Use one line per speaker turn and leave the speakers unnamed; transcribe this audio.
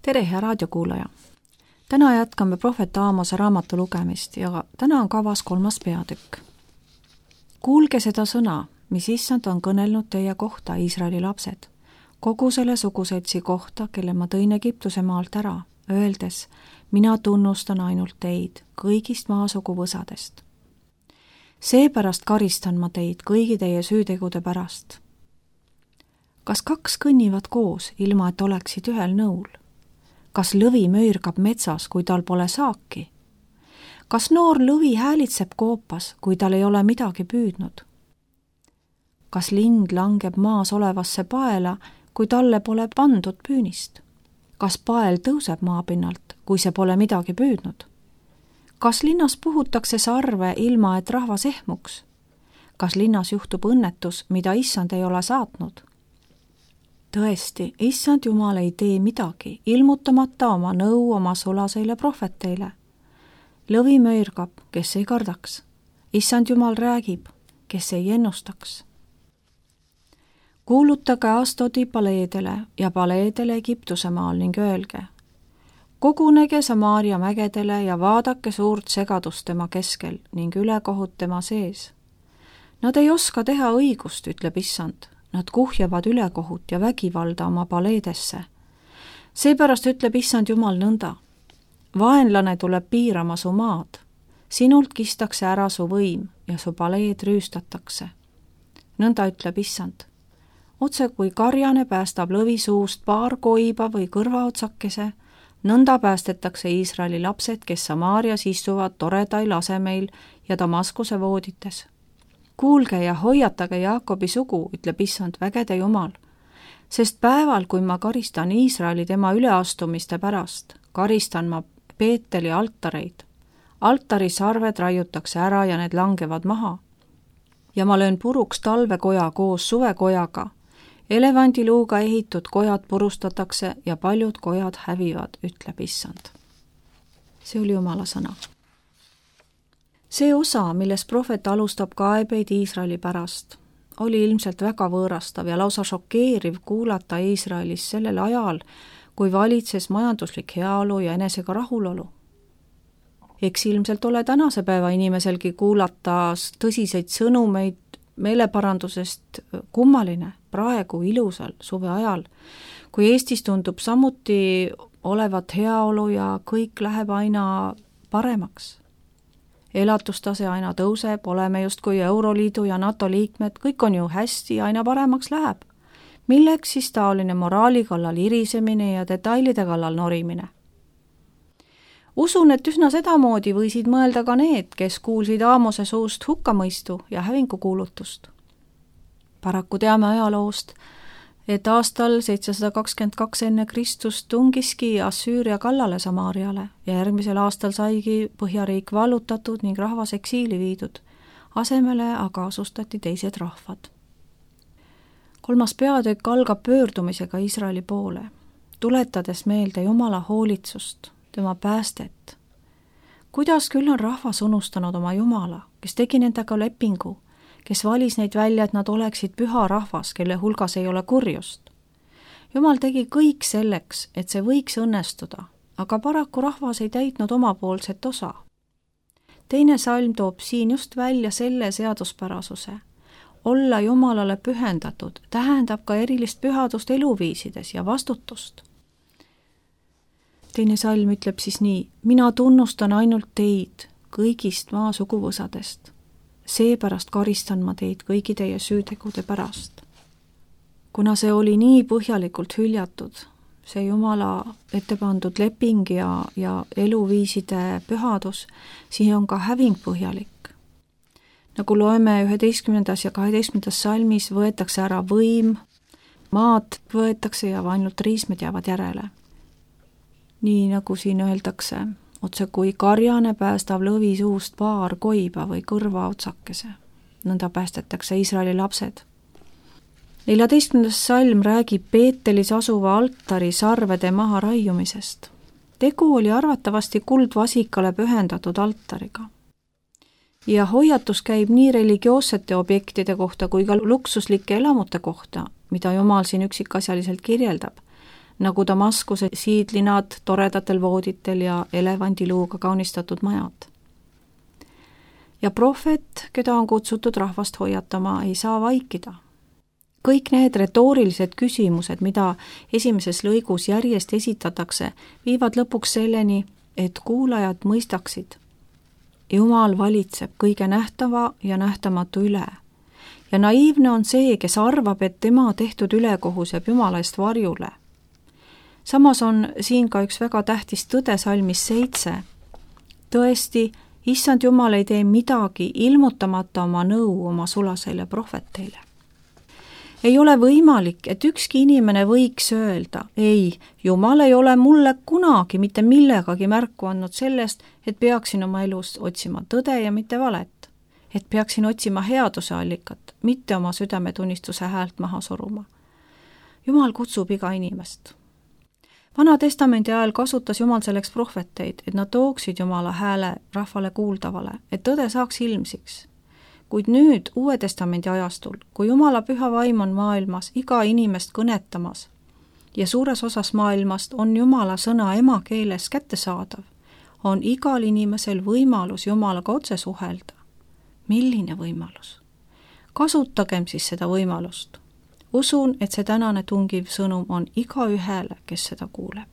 Tere, hea raadiokuulaja! Täna jätkame prohvet Aamose raamatu lugemist ja täna on kavas 3. peatükk. Kuulge seda sõna, mis issand on kõnelnud teie kohta, Iisraeli lapsed, kogu selle suguseltsi kohta, kelle ma tõin Egiptuse maalt ära, öeldes, mina tunnustan ainult teid kõigist maasugu võsadest. Seepärast karistan ma teid kõigi teie süütegude pärast. Kas 2 kõnnivad koos, ilma et oleksid ühel nõul? Kas lõvi möirgab metsas, kui tal pole saaki? Kas noor lõvi häälitseb koopas, kui tal ei ole midagi püüdnud? Kas lind langeb maas olevasse paela, kui talle pole pandud püünist? Kas pael tõuseb maapinnalt, kui see pole midagi püüdnud? Kas linnas puhutakse sarve, ilma et rahvas ehmuks? Kas linnas juhtub õnnetus, mida issand ei ole saatnud? Tõesti, issand Jumal ei tee midagi, ilmutamata oma nõu oma sulaseile prohveteile. Lõvi möirgab, kes ei kardaks. Issand Jumal räägib, kes ei ennustaks. Kuulutage Astodi paleedele ja paleedele Egiptuse maal ning öelge, kogunege Samaaria mägedele ja vaadake suurt segadust tema keskel ning ülekohut tema sees. Nad ei oska teha õigust, ütleb issand. Nad kuhjavad ülekohut ja vägivalda oma paleedesse. Seepärast ütleb issand Jumal nõnda. Vaenlane tuleb piirama su maad. Sinult kistakse ära su võim ja su paleed rüüstatakse. Nõnda ütleb issand. Otse kui karjane päästab lõvi suust paar koiba või kõrvaotsakese, nõnda päästetakse Iisraeli lapsed, kes Samaarias istuvad toredail asemeil ja Damaskuse voodites. Kuulge ja hoiatage Jaakobi sugu, ütleb issand vägede Jumal, sest päeval, kui ma karistan Iisraeli tema üleastumiste pärast, karistan ma Peeteli altareid. Altari sarved raiutakse ära ja need langevad maha. Ja ma löön puruks talvekoja koos suvekojaga. Elevandiluuga ehitud kojad purustatakse ja paljud kojad hävivad, ütleb issand. See oli Jumala sõna. See osa, milles prohvet alustab kaebeid Iisraeli pärast, oli ilmselt väga võõrastav ja lausa šokeeriv kuulata Iisraelis sellel ajal, kui valitses majanduslik heaolu ja enesega rahulolu. Eks ilmselt ole tänase päeva inimeselgi kuulata tõsiseid sõnumeid meeleparandusest kummaline praegu ilusal suve ajal, kui Eestis tundub samuti olevat heaolu ja kõik läheb aina paremaks. Elatustase aina tõuseb, oleme justkui Euroliidu ja NATO liikmed, kõik on ju hästi, aina paremaks läheb. Milleks siis taoline moraali kallal irisemine ja detailide kallal norimine? Usun, et üsna sedamoodi võisid mõelda ka need, kes kuulsid Aamose suust hukkamõistu ja hävingukuulutust. Paraku teame ajaloost, et aastal 722 enne Kristust tungiski Assüüria kallale Samaariale ja järgmisel aastal saigi Põhjariik vallutatud ning rahvas eksiili viidud. Asemele aga asustati teised rahvad. 3. peatükk algab pöördumisega Iisraeli poole, tuletades meelde Jumala hoolitsust, tema päästet. Kuidas küll on rahvas unustanud oma Jumala, kes tegi nendega lepingu, kes valis neid välja, et nad oleksid püha rahvas, kelle hulgas ei ole kurjust. Jumal tegi kõik selleks, et see võiks õnnestuda, aga paraku rahvas ei täitnud omapoolset osa. 2. salm toob siin just välja selle seaduspärasuse. Olla Jumalale pühendatud tähendab ka erilist pühadust eluviisides ja vastutust. 2. salm ütleb siis nii, mina tunnustan ainult teid kõigist maa suguvõsadest. Seepärast karistan ma teid kõigi teie süütegude pärast. Kuna see oli nii põhjalikult hüljatud, see Jumala ette pandud leping ja eluviiside pühadus, siin on ka häving põhjalik. Nagu loeme 11. ja 12. salmis võetakse ära võim, maad võetakse ja ainult riismed jäävad järele. Nii nagu siin öeldakse, otse kui karjane päästab lõvi suust paar koiba või kõrvaotsakese. Nõnda päästetakse Iisraeli lapsed. 14. salm räägib Peetelis asuva altari sarvede maha raiumisest. Tegu oli arvatavasti kuldvasikale pühendatud altariga. Ja hoiatus käib nii religioossete objektide kohta kui ka luksuslike elamute kohta, mida Jumal siin üksikasjaliselt kirjeldab. nagu Damaskuse siidlinad toredatel vooditel ja elevandiluuga kaunistatud majad. Ja prohvet, keda on kutsutud rahvast hoiatama, ei saa vaikida. Kõik need retoorilised küsimused, mida esimeses lõigus järjest esitatakse, viivad lõpuks selleni, et kuulajad mõistaksid. Jumal valitseb kõige nähtava ja nähtamatu üle. Ja naiivne on see, kes arvab, et tema tehtud ülekohus jääb Jumala eest varjule. Samas on siin ka üks väga tähtis tõde salmis 7. Tõesti, Issand Jumal ei tee midagi ilmutamata oma nõu oma sulaseile prohveteile. Ei ole võimalik, et ükski inimene võiks öelda, ei, Jumal ei ole mulle kunagi mitte millegagi märku andnud sellest, et peaksin oma elus otsima tõde ja mitte valet, et peaksin otsima headuse allikat, mitte oma südametunnistuse häält maha suruma. Jumal kutsub iga inimest. Vana testamendi ajal kasutas Jumal selleks prohveteid, et nad tooksid Jumala hääle rahvale kuuldavale, et tõde saaks ilmsiks. Kuid nüüd Uue testamendi ajastul, kui Jumala püha vaim on maailmas iga inimest kõnetamas ja suures osas maailmast on Jumala sõna emakeeles kättesaadav, on igal inimesel võimalus Jumalaga otse suhelda. Milline võimalus? Kasutagem siis seda võimalust. Usun, et see tänane tungiv sõnum on igaühele, kes seda kuuleb.